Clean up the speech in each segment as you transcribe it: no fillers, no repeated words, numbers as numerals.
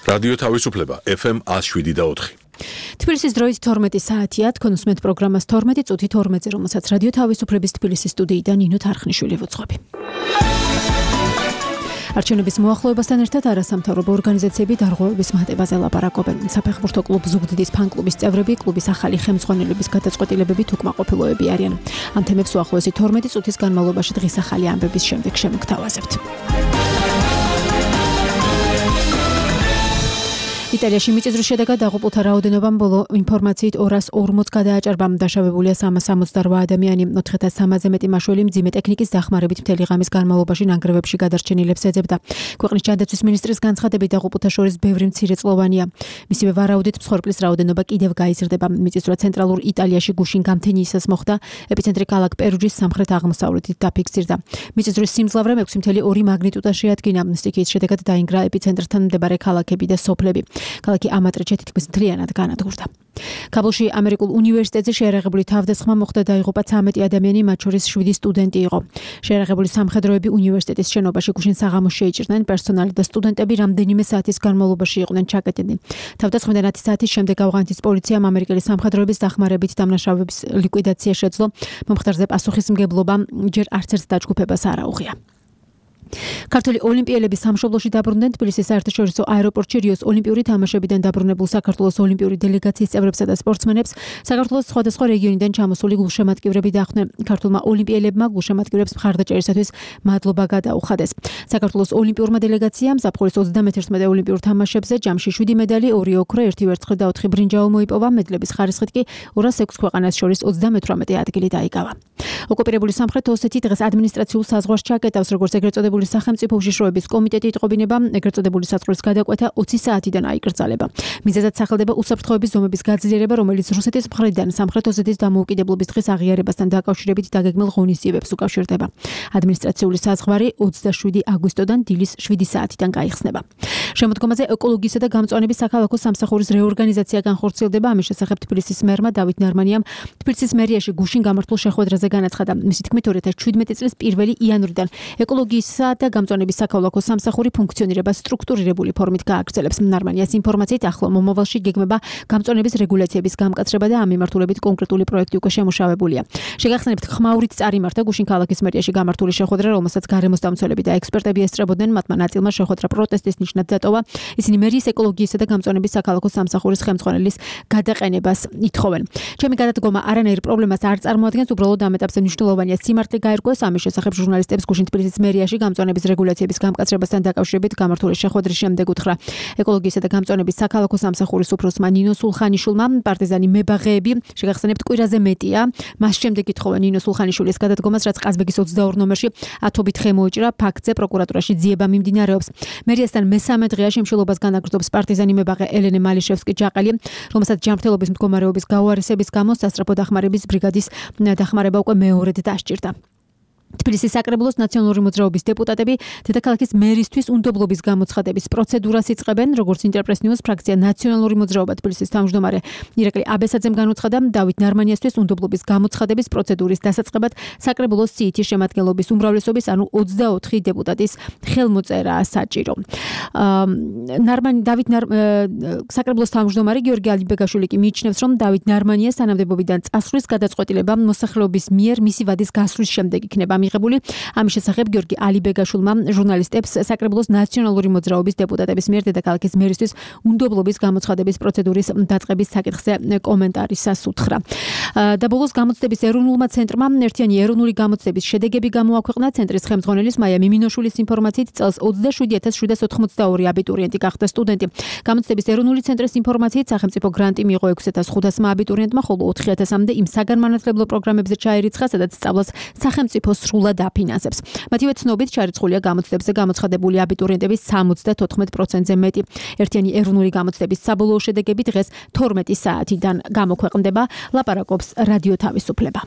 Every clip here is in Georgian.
რადიო თავისუფლება FM 107.4. თბილისის დროით 12 საათია, თქვენ უსმენთ პროგრამას 12 წუთი 12-ზე, რომელსაც რადიო თავისუფლების თბილისის სტუდიიდან ნინო თარხნიშვილი ვუძღვები. არჩევნების მოახლოებასთან ერთად არასამთავრობო ორგანიზაციები დარღვევების მატებაზე ლაპარაკობენ. საფეხბურთო კლუბ ზუგდიდის ფან-კლუბის წევრები კლუბის ახალი ხელმძღვანელების გადაწყვეტილებებით უკმაყოფილოები არიან. ამ თემებს უახლოესი 12 წუთის განმავლობაში დღის ახალი ამბების შემდეგ შემოგთავაზებთ. იტალიაში მიწისძვრის შედეგად დაღუპულთა რაოდენობამ ბოლო ინფორმაციით 240 გადააჭარბა. დაშავებულია 368 ადამიანი. 4,300-ზე მეტი მაშველი მძიმე ტექნიკის დახმარებით მთელი ღამის განმავლობაში ნანგრევებში გადარჩენილებს ეძებდა. ქვეყნის ჯანდაცვის მინისტრის განცხადებით დაღუპულთა შორის ბევრი მცირეწლოვანია. მისივე ვარაუდით მსხვერპლის რაოდენობა კიდევ გაიზრდება. მიწისძვრა ცენტრალურ იტალიაში გუშინ გამთენიისას მოხდა. ეპიცენტრი ქალაქ პერუჯის სამხრეთ-აღმოსავლეთით დაფიქსირდა. მიწისძვრის სიმძლავრე 6.2 მაგნიტუდას შეადგინა. სტიქიის შედეგად დაინგრა ეპიცენტრთან მდებარე ქალაქები და სოფლები. ქალაქი ამატრიჩე თითქმის მთლიანად განადგურდა. კაბულში ამერიკულ უნივერსიტეტზე შეიარაღებული თავდასხმა მოხდა, დაიღუპა 13 ადამიანი, მათ შორის 7 სტუდენტი იყო. შეიარაღებული სამხედროები უნივერსიტეტის შენობაში გუშინ საღამოს შეიჭრნენ. პერსონალი და სტუდენტები რამდენიმე საათის განმავლობაში იყვნენ ჩაკეტილი. თავდასხმიდან 10 საათის შემდეგ ავღანეთის პოლიციამ ამერიკელი სამხედროების დახმარებით დამნაშავეების ლიკვიდაცია შეძლო. მომხდარზე პასუხისმგებლობა ჯერ არც ერთ დაჯგუფებას არ აუღია. ქართველი ოლიმპიელები სამშობლოში დაბრუნდნენ. თბილისის საერთაშორისო აეროპორტში რიოს ოლიმპიური თამაშებიდან დაბრუნებულ საქართველოს ოლიმპიური დელეგაციის წევრებსა და სპორტსმენებს საქართველოს სხვადასხვა რეგიონიდან ჩამოსული გულშემატკივრები დახვდნენ. ქართულმა ოლიმპიელებმა გულშემატკივრებს მხარდაჭერისათვის მადლობა გადაუხადეს. საქართველოს ოლიმპიურმა დელეგაციამ ზაფხულის 31 ოლიმპიურ თამაშებზე ჯამში 7 მედალი, 2 ოქრო, 1 ვერცხლი და 4 ბრინჯაო მოიპოვა. მედლების ხარისხით კი 206 ქვეყანას შორის 38 ადგილი დაიკავა. ოკუპირებული სამხრეთ ოსეთი დღეს ადმინისტრაციულ საზღვარს ჩაკეტავს, როგორც ეგრეთ წოდებული სახელმწიფო უშიშროების კომიტეტი იტყობინება, ეგრეთ წოდებული საზღვრის გადაკვეთა 20 საათიდან აიკრძალება. მიზეზად სახელდება უსაფრთხოების ზომების გაძლიერება, რომელიც რუსეთის მხრიდან სამხრეთ ოსეთის დამოუკიდებლობის დღის აღიარებასთან დაკავშირებით დაგეგმილ ღონისძიებებს უკავშირდება. ადმინისტრაციული საზღვარი 27 აგვისტოდან დილის 7 საათიდან გაიხსნება. შემოდგომაზე ეკოლოგიისა და გამწვანების საქალაქო სამსახურის რეორგანიზაცია განხორციელდება. ამის შესახებ თბილისის მერმა დავით ნარმანიამ თბილისის მერიაში გუშინ გამართულ შეხვედრაზე განაცხადა. მისი თქმით 2017 წლის 1 იანვრიდან ეკოლოგიისა და გამწვანების საქალაქო სამსახური ფუნქციონირებას სტრუქტურირებული ფორმით გააგრძელებს. ნარმანიას ინფორმაციით ახლო მომავალში გეგმება გამწვანების რეგულაციების გამკაცრება და ამ მიმართულებით კონკრეტული პროექტი უკვე შემუშავებულია. შეგახსენებთ, ხმაურით წარიმართა გუშინ ქალაქის მერიაში გამართული შეხვედრა, რომელსაც გარემოსდამცველები და ექსპერტები ესწრებოდნენ. მათმა ნაწილმა შეხვედრა პროტესტის ნიშნად დატოვა. ისინი მერიის ეკოლოგიისა და გამწვანების საქალაქო სამსახურის ხელმძღვანელის გადაყენებას ითხოვენ. ჩემი გადადგომა არანაირ პრობლემას არ წარმოადგენს, უბრალოდ ამ ეტაპზე მნიშვნელოვანია სიმართლე გაერკვეს. ამის შესახებ ჟურნალისტებს გუშინ თბილისის მერიაში გამწვანების რეგულაციების გამკაცრებასთან დაკავშირებით გამართული შეხვედრის შემდეგ უთხრა ეკოლოგიისა და გამწვანების საქალაქო სამსახურის უფროსმა ნინო სულხანიშვილმა. პარტიზანი მებაღეები შეგახსენებთ კვირაზე მეტია. მას შემდეგ ითხოვენ ნინო სულხანიშვილის გადადგომას, რაც ყაზბეგის 22 ნომერში ათობით ხე მოიჭრა. ფაქტზე პროკურატურაში ძიება მიმდინარეობს. მერიასთან მესამე დღეა შემშულობას განაგრძობს პარტიზანი მებაღე ელენე მალიშევსკი-ჯაყელი, რომელსაც ჯანმრთელობის მდგომარეობის გაუარესების გამო სასწრაფო დახმარების ბრიგადის დახმარება უკვე მეორედ დასჭირდა. თბილისის საკრებულოს ნაციონალური მოძრაობის დეპუტატები დედაქალაქის მერისთვის უნდობლობის გამოცხადების პროცედურას იწყებენ. როგორც ინტერპრეს ნიუს ფრაქცია ნაციონალური მოძრაობა თბილისის თავმჯდომარე ირაკლი აბესაძემ განუცხადა, დავით ნარმანიასთვის უნდობლობის გამოცხადების პროცედურის დასაწყებად საკრებულოს სიითი შემადგენლობის უმრავლესობის, ანუ 24 დეპუტატის ხელმოწერაა საჭირო. საკრებულოს თავმჯდომარე გიორგი ალიბეგაშვილი კი მიიჩნევს, რომ დავით ნარმანიას თანამდებობიდან წასვლის გადაწყვეტილება მოსახლეობის მიერ მისი ვადის გასვლის შემდეგ იქნება მიღებული. ამის შესახებ გიორგი ალიბეგაშვილმა ჟურნალისტებს საკრებულოს ნაციონალური მოძრაობის დეპუტატების მიერ დედაქალაქის მერისთვის უნდობლობის გამოცხადების პროცედურის დაწყების საკითხზე კომენტარისას უთხრა. და ბოლოს გამოცდების ეროვნულმა ცენტრმა ერთიანი ეროვნული გამოცდების შედეგები გამოაქვეყნა. ცენტრის ხელმძღვანელის მაია მიმინოშვილის ინფორმაციით წელს 27782 აბიტურიენტი გახდა სტუდენტი. გამოცდების ეროვნული ცენტრის ინფორმაციით სახელმწიფო გრანტი მიიღო 6500 აბიტურიენტმა, ხოლო 4000-მდე იმ საგანმანათლებლო პროგრამებზე ჩაირიცხა, სადაც სწავლას სახელმწიფო სრულად აფინანსებს. მათივე ცნობით ჩარიცხულია გამოცდებზე გამოცხადებული აბიტურიენტების 74%-ზე მეტი. ერთიანი ეროვნული გამოცდების საბოლოო შედეგები დღეს 12 საათიდან გამოქვეყნდება. ლაპარაკობს რადიო თავისუფლება.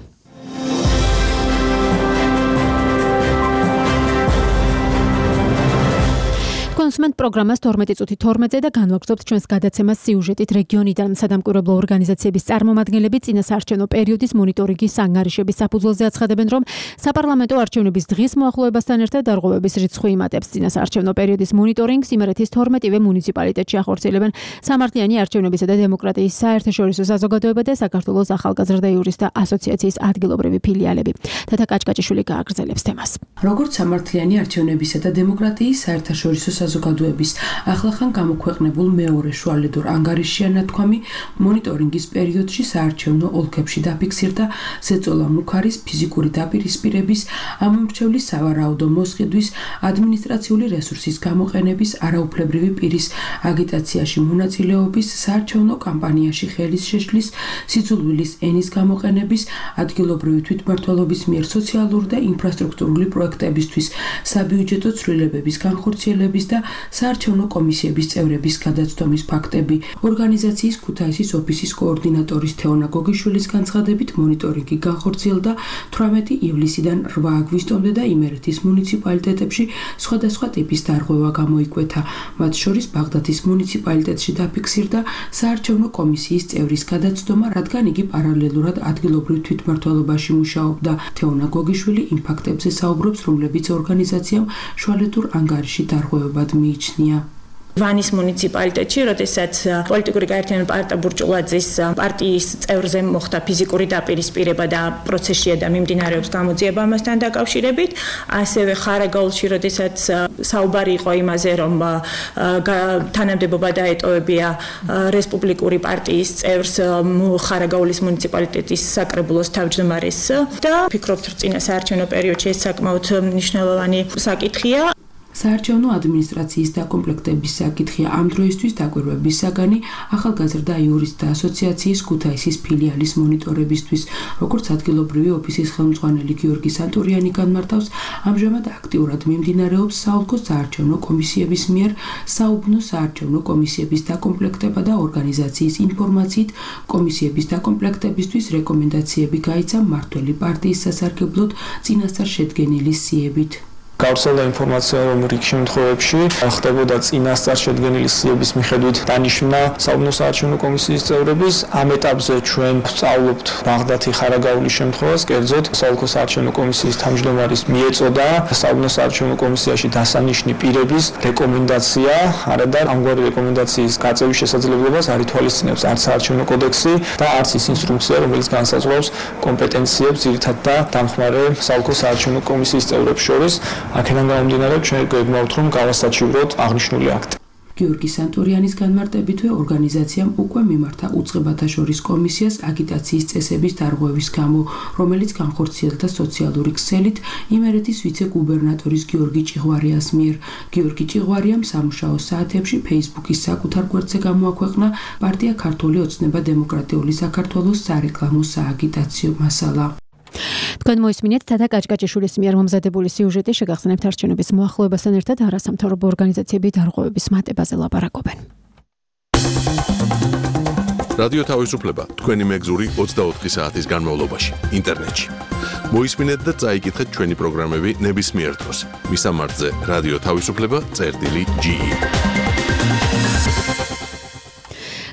თქვენ გისმენთ პროგრამას 12 წუთი 12-ზე და განვაგრძობთ ჩვენს გადაცემას სიუჟეტით რეგიონიდან სადამკვირვებლო ორგანიზაციების წარმომადგენლები წინასაარჩევნო პერიოდის მონიტორინგის ანგარიშების საფუძველზე აცხადებენ, რომ საპარლამენტო არჩევნების დღის მოახლოებასთან ერთად დარღვევების რიცხვი იმატებს. წინასაარჩევნო პერიოდის მონიტორინგს იმერეთის 12-ვე მუნიციპალიტეტში ახორციელებენ სამართლიანი არჩევნებისა და დემოკრატიის საერთაშორისო საზოგადოება და საქართველოს ახალგაზრდა იურისტთა ასოციაციის ადგილობრივი ფილიალები. თათა კაჭკაჭიშვილი გააგრძელებს თემას. როგორც სამართლიანი არჩევნებისა და დემოკრატიის საერთაშორისო საზოგადოების ახლახან გამოქვეყნებულ მეორე შუალედურ ანგარიშია ნათქვამი, მონიტორინგის პერიოდში საარჩევნო ოლქებში დაფიქსირდა ზეწოლა მუქარის ფიზიკური დაპირისპირების, ამომრჩევლის სავარაუდო მოსყიდვის, ადმინისტრაციული რესურსის გამოყენების, არაუფლებრივი პირის აგიტაციაში მონაწილეობის, საარჩევნო კამპანიაში ხელის შეშლის, სიძულვილის ენის გამოყენების, ადგილობრივი თვითმმართველობის მიერ სოციალური და ინფრასტრუქტურული პროექტებისთვის საბიუჯეტო ცვლილებების განხორციელების და საარჩევნო კომისიების წევრების გადაცდომის ფაქტები. ორგანიზაციის ქუთაისის ოფისის კოორდინატორის თეონა გოგიშვილის განცხადებით მონიტორინგი განხორციელდა 18 ივლისიდან 8 აგვისტომდე და იმერეთის მუნიციპალიტეტებში სხვადასხვა ტიპის დარღვევა გამოიკვეთა. მათ შორის ბაღდათის მუნიციპალიტეტში დაფიქსირდა საარჩევნო კომისიის წევრის გადაცდომა, რადგან იგი პარალელურად ადგილობრივ თვითმმართველობაში მუშაობდა. თეონა გოგიშვილი იმ ფაქტებზე საუბრობს, რომლებიც ორგანიზაციამ შუალედურ ანგარიში დარღვევებად მიიჩნია. ვანის მუნიციპალიტეტში, როდესაც პოლიტიკური გაერთიანება პარტა ბურჭულაძის პარტიის წევრზე მოხდა ფიზიკური დაპირისპირება და პროცესშია და მიმდინარეობს გამოძიება ამასთან დაკავშირებით, ასევე ხარაგაულში, როდესაც საუბარი იყო იმაზე, რომ თანამდებობა დაეტოვებია რესპუბლიკური პარტიის წევრს ხარაგაულის მუნიციპალიტეტის საკრებულოს თავმჯდომარეს და ფიქრობთ, რომ წინასაარჩევნო პერიოდში ეს საკმაოდ მნიშვნელოვანი საკითხია. საარჩევნო ადმინისტრაციის დაკომპლექტების საკითხია ამ დროისთვის დაკვირვების საგანი ახალგაზრდა იურისტთა ასოციაციის ქუთაისის ფილიალის მონიტორებისთვის. როგორც ადგილობრივი ოფისის ხელმძღვანელი გიორგი სანტურიანი განმარტავს, ამჟამად აქტიურად მიმდინარეობს საოლქო საარჩევნო კომისიების მიერ საუბნო საარჩევნო კომისიების დაკომპლექტება და ორგანიზაციის ინფორმაციით კომისიების დაკომპლექტებისთვის რეკომენდაციები გაიცა მმართველი პარტიის სასარგებლოდ წინასწარ შედგენილი სიებით. გავრცელდა ინფორმაცია, რომ რიგ შემთხვევებში ხდებოდა წინასწარ შედგენილი სიების მიხედვით დანიშვნა საუბნო საარჩევნო კომისიის წევრების. ამ ეტაპზე ჩვენ ვსწავლობთ ბაღდათი ხარაგაულის შემთხვევას, კერძოდ საოლქო საარჩევნო კომისიის თავმჯდომარის მიეწოდა საუბნო საარჩევნო კომისიაში დასანიშნი პირების რეკომენდაცია, არადა ამგვარი რეკომენდაციის გაწევის შესაძლებლობას არ ითვალისწინებს არც საარჩევნო კოდექსი და არც ის ინსტრუქცია, რომელიც განსაზღვრავს კომპეტენციებს ძირითადად და დამხმარე საოლქო საარჩევნო კომისიის წევრებს შორის. აქედან გამომდინარე, ჩვენ გვეგმავთ, რომ გავასაჩივროთ აღნიშნული აქტი. გიორგი სანტურიანის განმარტებითვე ორგანიზაციამ უკვე მიმართა უწყებათა შორის კომისიას აგიტაციის წესების დარღვევის გამო, რომელიც განხორციელდა სოციალური ქსელით იმერეთის ვიცე-გუბერნატორის გიორგი ჭიღვარიას მიერ. გიორგი ჭიღვარიამ სამუშაო საათებში Facebook-ის საკუთარ გვერდზე გამოაქვეყნა პარტია ქართული ოცნება დემოკრატიული საქართველოს სარეკლამო სააგიტაციო მასალა. თქვენ მოისმინეთ თათა კაჭკაჭიშვილის მიერ მომზადებული სიუჟეტი, შეგახსენებთ არჩევნების მოახლოებასთან ერთად არასამთავრობო ორგანიზაციები დარღვევების მატებაზე ლაპარაკობენ. რადიო თავისუფლება თქვენი მეგზური 24 საათის განმავლობაში ინტერნეტში. მოისმინეთ და წაიკითხეთ ჩვენი პროგრამები ნებისმიერ დროს. მისამართზე რადიო თავისუფლება.ge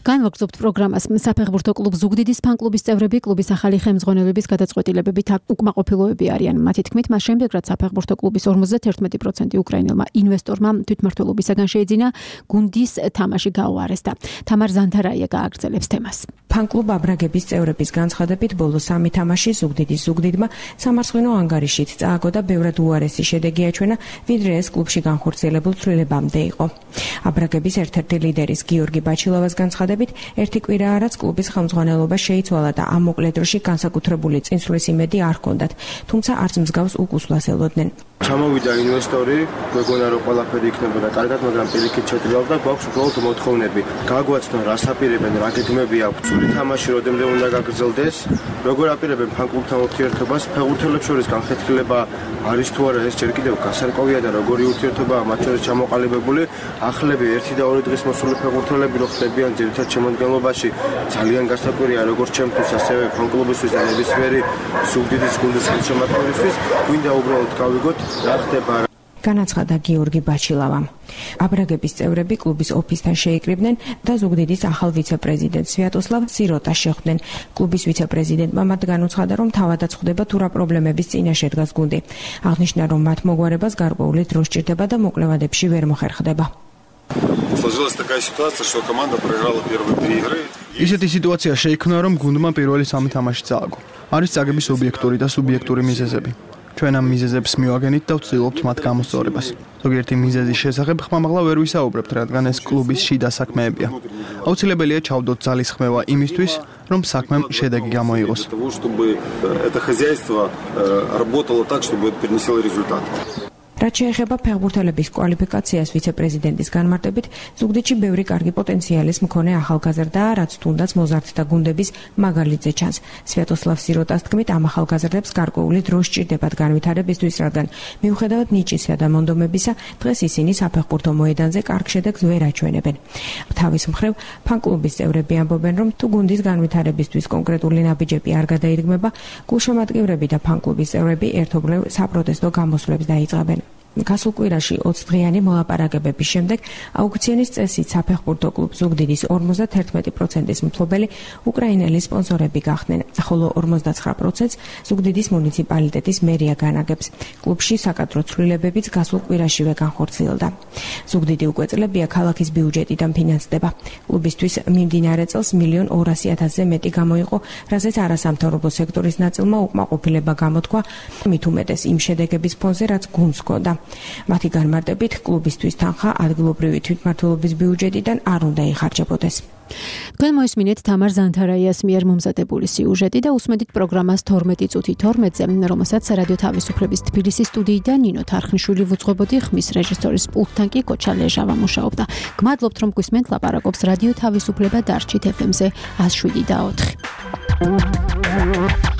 განვაგრძობთ პროგრამას. საფეხბურთო კლუბ ზუგდიდის ფან-კლუბის წევრები კლუბის ახალი ხელმძღვანელების გადაწყვეტილებებით უკმაყოფილოები არიან. მათი თქმით, მას შემდეგ, რაც საფეხბურთო კლუბის 51% უკრაინელმა ინვესტორმა თვითმმართველობისაგან შეიძინა, გუნდის თამაში გაუარესდა. თამარ ზანთარაია გააგრძელებს თემას. ფან-კლუბ აბრაგების წევრების განცხადებით, ბოლო 3 თამაში ზუგდიდის ზუგდიდმა სამარცხინო ანგარიშით წააგო და ბევრად უარესი შედეგი აჩვენა, ვიდრე ეს კლუბში განხორციელებულ ცვლილებამდე იყო. აბრაგების ერთ-ერთი ლიდერის გიორგი ბაჩილოვას განცხადებით, ერთი კვირაა, რაც კლუბის ხელმძღვანელობა შეიცვალა და ამ მოკლე დროში განსაკუთრებული წინსვლის იმედი არ ჰქონდათ, თუმცა არც მსგავს უკუსვლას ელოდნენ. ჩამოვიდა ინვესტორი, გვეგონა რომ ყველაფერი იქნებოდა კარგად, მაგრამ პირიქით შეტრიალდა და გვაქვს უბრალოდ მოთხოვნები. გაგვაცნო რა საპირებენ, რა გეგმები აქვს, სული თამაში როდემდე უნდა გაგრძელდეს, როგორ აპირებენ ფან-კლუბთან ურთიერთობას, ფეხბურთელებს შორის განხეთქილება არის თუ არა, ეს ჯერ კიდევ გასარკვევია და როგორი ურთიერთობაა მათ შორის ჩამოყალიბებული. ახლები 1 და 2 დღის მოსული ფეხბურთელები რო ხდებიან ძირითად შემადგენლობაში, ძალიან გასაკვირია როგორც ჩემთვის, ასევე ფან-კლუბისთვის და ნებისმიერი ზუგდიდის გუნდის ხელშემატკივრისთვის, გვინდა უბრალოდ გავიგოთ რა ხდება. განაცხადა გიორგი ბაჩილავამ. აბრაგების წევრები კლუბის ოფისთან შეიკრიბნენ და ზუგდიდის ახალ ვიცე-პრეზიდენტ სვიატოსლავ სიროტას შეხვდნენ. კლუბის ვიცე-პრეზიდენტმა მათ განუცხადა, რომ თავადაც ხვდება თუ რა პრობლემების წინაშე დგას გუნდი. აღნიშნა, რომ მათ მოგვარებას გარკვეული დრო სჭირდება და მოკლევადებში ვერ მოხერხდება. Сложилась такая ситуация, что команда проиграла первые 3 игры. ისეთი სიტუაცია შეიქმნა, რომ გუნდმა პირველი 3 თამაში წააგო. არის წაგების ობიექტური და სუბიექტური მიზეზები. ჩვენ ამ მიზეზებს მივაგენით და ვცდილობთ მათ გამოსწორებას. ზოგიერთი მიზეზის შესახებ ხმამაღლა ვერ ვისაუბრებთ, რადგან ეს კლუბის შიდა საქმეებია. აუცილებელია ჩავდოთ ძალის ხმევა იმისთვის, რომ საქმემ შედეგი გამოიღოს. Чтобы это хозяйство работало так, чтобы это принесло результат. რაც შეეხება ფეხბურთელების კვალიფიკაციას ვიცე-პრეზიდენტის განმარტებით, ზუგდიდში ბევრი კარგი პოტენციალის მქონე ახალგაზრდაა, რაც თუნდაც მოზარდთა გუნდების მაგალითზე ჩანს. სვიატოსლავ სიროტას თქმით, ამ ახალგაზრდებს გარკვეული დრო სჭირდებათ განვითარებისთვის, რადგან მიუხედავად ნიჭისა და მონდომებისა, დღეს ისინი საფეხბურთო მოედანზე კარგ შედეგს ვერ აჩვენებენ. თავის მხრივ, ფან-კლუბის წევრები ამბობენ, რომ თუ გუნდის განვითარებისთვის კონკრეტული ნაბიჯები არ გადაირგმება, გულშემატკივრები და ფან-კლუბის წევრები ერთობლივ საპროტესტო გამოსვლებს დაიწყებენ. გასულ კვირაში 20 დღიანი მოლაპარაკებების შემდეგ აუქციონის წესით საფეხბურთო კლუბ ზუგდიდის 51%-ის მფლობელი უკრაინელი სპონსორები გახდნენ, ხოლო 49%-ს ზუგდიდის მუნიციპალიტეტის მერია განაგებს. კლუბში საკადრო ცვლილებებიც გასულ კვირაშივე განხორციელდა. ზუგდიდი უკვე წლებია ქალაქის ბიუჯეტიდან ფინანსდება. კლუბისთვის მიმდინარე წელს 1,200,000-ზე მეტი გამოიყო, რაზეც არასამთავრობო სექტორის ნაწილმა უკმაყოფილება გამოთქვა, მით უმეტეს იმ შედეგების ფონზე, რაც გუნდს ჰქონდა. მათი განმარტებით, კლუბისთვის თანხა ადგილობრივი თვითმმართველობის ბიუჯეტიდან არ უნდა იხარჯებოდეს. თქვენ მოისმინეთ თამარ ზანთარაიას მიერ მომზადებული სიუჟეტი და უსმენთ პროგრამას 12 წუთი 12-ზე, რომელსაც რადიო თავისუფლების თბილისის სტუდიიდან ნინო თარხნიშვილი ვუძღვებოდი, ხმის რეჟისორის პულტთან კი კოჩა ლეჟავა მუშაობდა. გმადლობთ, რომ გვისმენთ, ლაპარაკობს რადიო თავისუფლება დარჩით FM-ზე 107.4.